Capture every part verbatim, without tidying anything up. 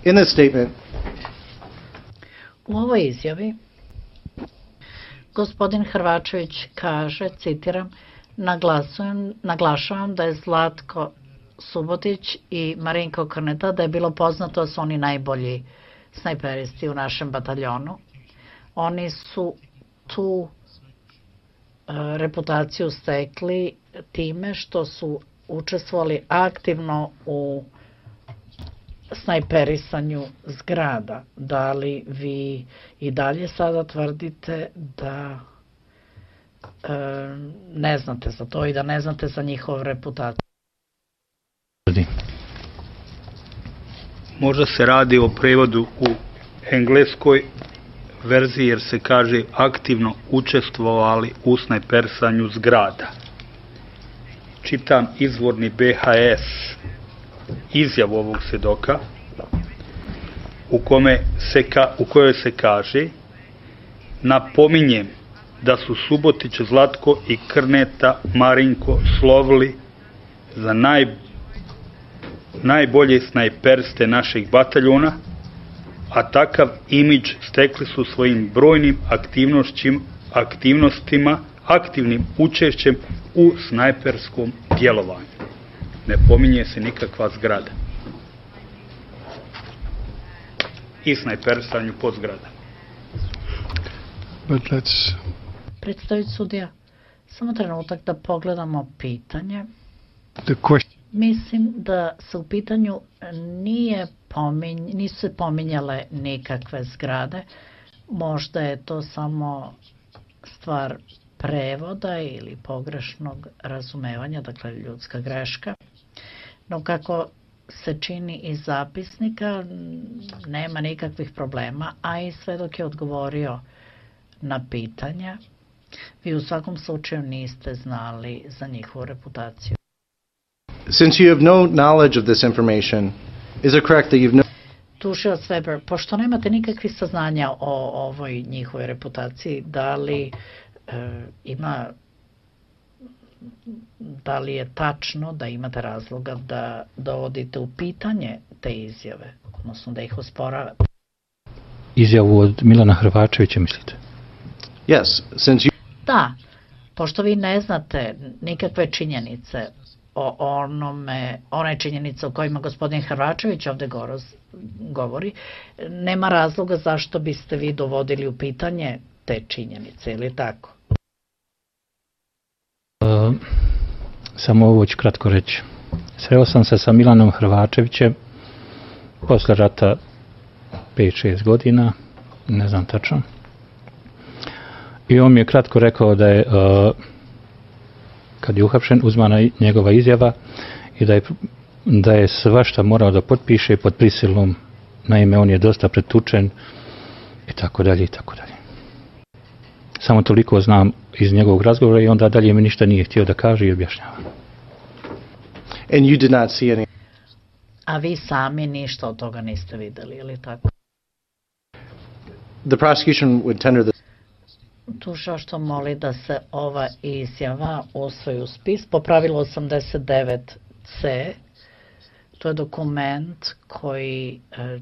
In this statement, u ovoj izjavi gospodin Hrvačević kaže, citiram, naglašavam da je Zlatko Subotić i Marinko Krneta, da je bilo poznato da su oni najbolji snajperisti u našem bataljonu. Oni su tu reputaciju stekli time što su učestvovali aktivno u snajperisanju zgrada. Da li vi i dalje sada tvrdite da ne znate za to i da ne znate za njihovu reputaciju? Možda se radi o prevodu u engleskoj verziji jer se kaže aktivno učestvovali u snajperisanju zgrada. Čitam izvorni B H S izjavu ovog svedoka u, kome se ka, u kojoj se kaže: napominjem da su Subotić, Zlatko i Krneta Marinko slovili za naj, najbolje snajperiste našeg bataljona, a takav imidž stekli su svojim brojnim aktivnostima, aktivnim učešćem u snajperskom djelovanju. Ne pominje se nikakva zgrada. I snajperisanju pod zgrada. But let's... Predstaviti sudija, samo trenutak da pogledamo pitanje. The question... Mislim da se u pitanju nije pominj, nisu se pominjale nikakve zgrade. Možda je to samo stvar prevoda ili pogrešnog razumevanja, dakle ljudska greška. No kako se čini iz zapisnika, nema nikakvih problema, a i svedok je odgovorio na pitanja. Vi u svakom slučaju niste znali za njihovu reputaciju. Since you have no knowledge of this information, is it correct that you've no... Tužilac Weber, pošto nemate nikakvih saznanja o ovoj njihovoj reputaciji, da li e, ima da li je tačno da imate razloga da dovodite u pitanje te izjave, odnosno da ih osporavate? Izjavu od Milana Hrvačevića, mislite? Yes, since you... Da, pošto vi ne znate nikakve činjenice o onome, one činjenice o kojima gospodin Hrvačević ovde govori, nema razloga zašto biste vi dovodili u pitanje te činjenice, ili tako? Uh, samo ovo ću kratko reći. Sreo sam se sa Milanom Hrvačevićem posle rata pet šest godina, ne znam tačno. I on mi je kratko rekao da je uh, kad je uhapšen, uzmana njegova izjava i da je, da je svašta morao da potpiše pod prisilom, naime on je dosta pretučen i tako dalje i tako dalje. Samo toliko znam iz njegovog razgovora i onda dalje mi ništa nije htio da kaže i objašnjava. And you did not see any... A vi sami ništa od toga niste videli, ili tako? The prosecution would tender the... Tuža što moli da se ova izjava usvoji u spis po pravilu osamdeset devet C. To je dokument koji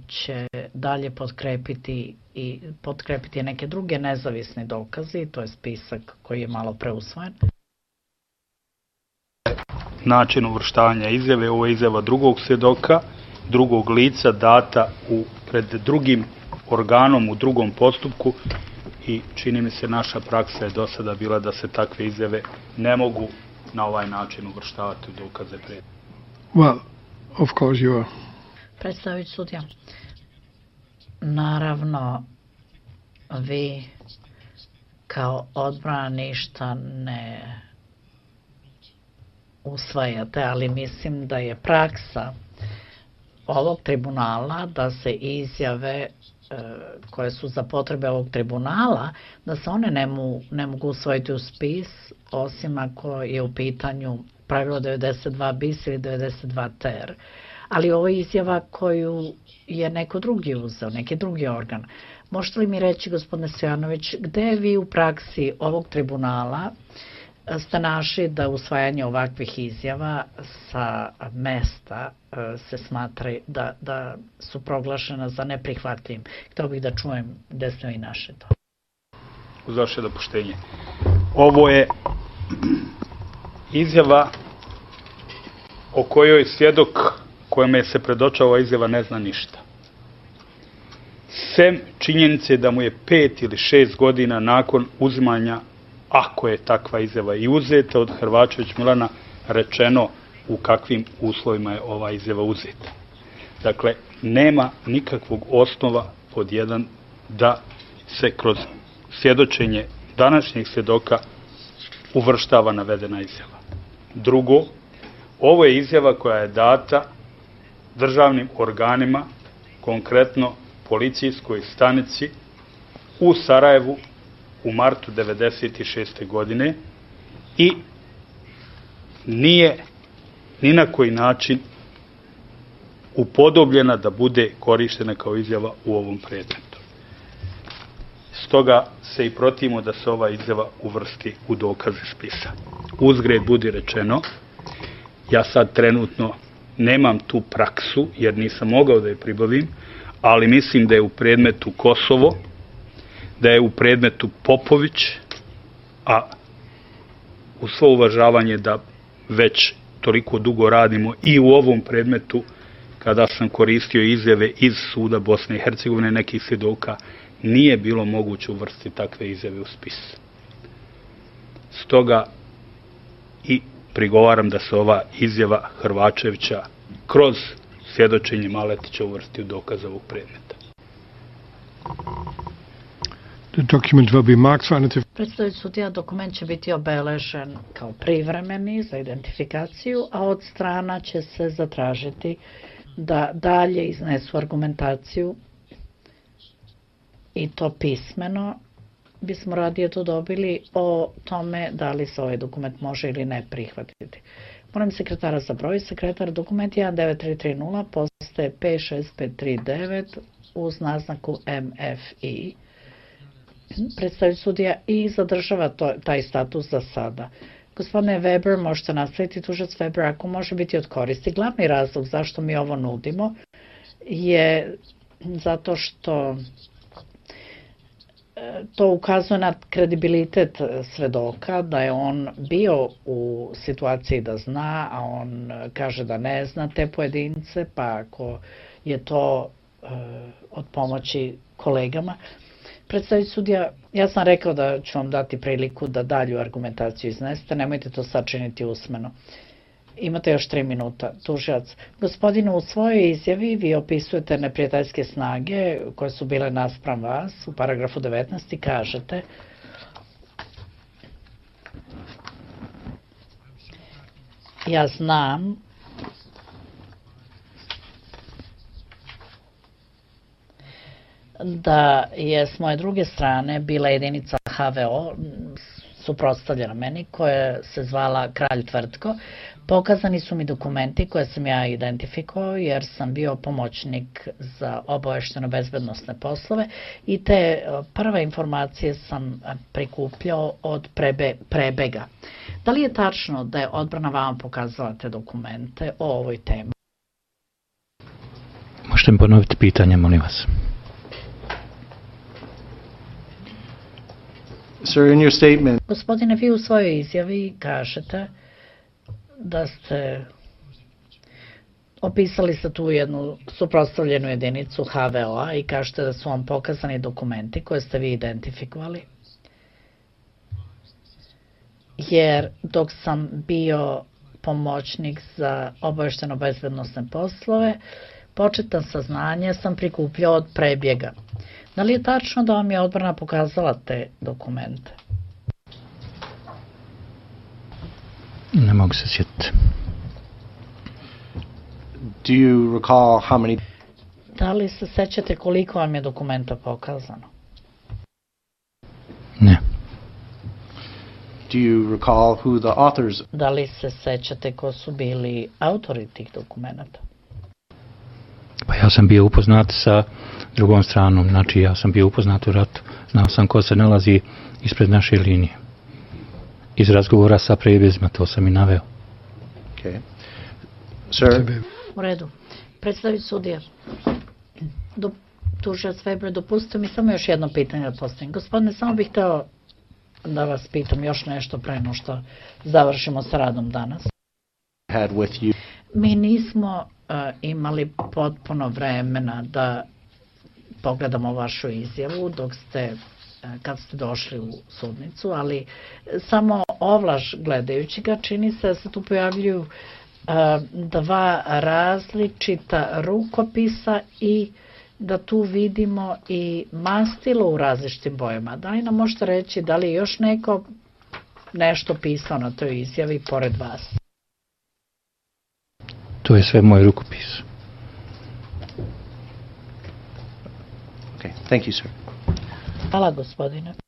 će dalje potkrepiti i potkrepiti neke druge nezavisne dokazi. To je spisak koji je malo preusvojen. Način uvrštavanja izjave, ovo je izjava drugog svjedoka, drugog lica data u, pred drugim organom u drugom postupku. I čini mi se naša praksa je do sada bila da se takve izjave ne mogu na ovaj način uvrštavati u dokaze pred. Well, of course you are. Predstavit sudija. Naravno, vi kao odbrana ništa ne usvajate, ali mislim da je praksa ovog tribunala da se izjave koje su za potrebe ovog tribunala, da se one ne, mu, ne mogu usvojiti u spis, osim ako je u pitanju pravilo devedeset dva bis ili devedeset dva ter. Ali ovo je izjava koju je neko drugi uzeo, neki drugi organ. Možete li mi reći, gospodine Stojanović, gde vi u praksi ovog tribunala ste našli da usvajanje ovakvih izjava sa mesta se smatra da, da su proglašena za neprihvatljivim. Htio bih da čujem gde ste vi našli to. Uz vaše dopuštenje. Ovo je izjava o kojoj svjedok kojome se predočava ova izjava ne zna ništa. Sem činjenice da mu je pet ili šest godina nakon uzimanja, ako je takva izjava i uzeta od Hrvačević Milana, rečeno u kakvim uslovima je ova izjava uzeta. Dakle, nema nikakvog osnova pod jedan da se kroz svjedočenje današnjeg svjedoka uvrštava navedena izjava. Drugo, ovo je izjava koja je data državnim organima, konkretno policijskoj stanici u Sarajevu u martu devedeset šeste. godine i nije ni na koji način upodobljena da bude korištena kao izjava u ovom predmetu. Stoga se i protivimo da se ova izjava uvrsti u dokaze spisa. Uzgred budi rečeno, ja sad trenutno nemam tu praksu jer nisam mogao da je pribavim, ali mislim da je u predmetu Kosovo, da je u predmetu Popović, a u svo uvažavanje da već toliko dugo radimo i u ovom predmetu, kada sam koristio izjave iz suda Bosne i Hercegovine nekih svjedoka, nije bilo moguće uvrstiti takve izjave u spis. Stoga i prigovaram da se ova izjava Hrvačevića kroz svjedočenje Maletića uvrsti u dokaz ovog predmeta. The document will be marked for identification. Predstavljajući sudija, dokument će biti obeležen kao privremeni za identifikaciju, a od strana će se zatražiti da dalje iznesu argumentaciju i to pismeno. Bismo radije to dobili o tome da li se ovaj dokument može ili ne prihvatiti. Moram sekretara za broj. Sekretar, dokument jedan devet tri tri nula postaje pet šest pet tri devet uz naznaku M F I. Predstavljajući sudija i zadržava to, taj status za sada. Gospodine Weber, možete nastaviti, tužac Weber, ako može biti od koristi. Glavni razlog zašto mi ovo nudimo je zato što to ukazuje na kredibilitet svedoka, da je on bio u situaciji da zna, a on kaže da ne zna te pojedince, pa ako je to uh, od pomoći kolegama. Predstaviti sudija, ja sam rekao da ću vam dati priliku da dalju argumentaciju iznesete, nemojte to sačiniti usmeno. Imate još tri minuta. Tužilac, gospodinu, u svojoj izjavi vi opisujete neprijateljske snage koje su bile naspram vas. U paragrafu devetnaest i kažete: ja znam da je s moje druge strane bila jedinica H V O suprotstavljena meni, koja se zvala Kralj Tvrtko. Pokazani su mi dokumenti koje sam ja identifikovao jer sam bio pomoćnik za obavešteno bezbednosne poslove i te prve informacije sam prikupljao od prebe, prebega. Da li je tačno da je odbrana vama pokazala te dokumente o ovoj temi? Možete mi ponoviti pitanje, molim vas. Sir, in your statement, Gospodine, vi u svojoj izjavi kažete da ste opisali ste tu jednu suprotstavljenu jedinicu H V O-a i kažete da su vam pokazani dokumenti koje ste vi identifikovali. Jer dok sam bio pomoćnik za obavešteno bezbednosne poslove, početna saznanja sam prikupljao od prebjega. Da li je tačno da vam je odbrana pokazala te dokumente? Ne mogu se sjetiti. do you recall how many? Da li se sećate koliko vam je dokumenta pokazano? Ne. Do you recall who the authors? Da li se sećate ko su bili autori tih dokumenta? Pa ja sam bio upoznat sa drugom stranom, znači ja sam bio upoznat u ratu. Znao sam ko se nalazi ispred naše linije. iz razgovora sa prebjezima, to sam i naveo. Okay. Sir, U redu. Predstavit sudija. Do, tužilac Weber, dopustite mi samo još jedno pitanje da postavim. Gospodine, samo bih hteo da vas pitam još nešto pre no što završimo sa radom danas. had with you. Mi nismo uh, imali potpuno vremena da pogledamo vašu izjavu dok ste, uh, kad ste došli u sudnicu, ali samo ovlaš gledajući ga čini se da se tu pojavljuju uh, dva različita rukopisa i da tu vidimo i mastilo u različitim bojama. Da li nam možete reći da li je još neko nešto pisao na toj izjavi pored vas? To je sve moj rukopis. Okay, thank you, sir. Hvala, gospodine.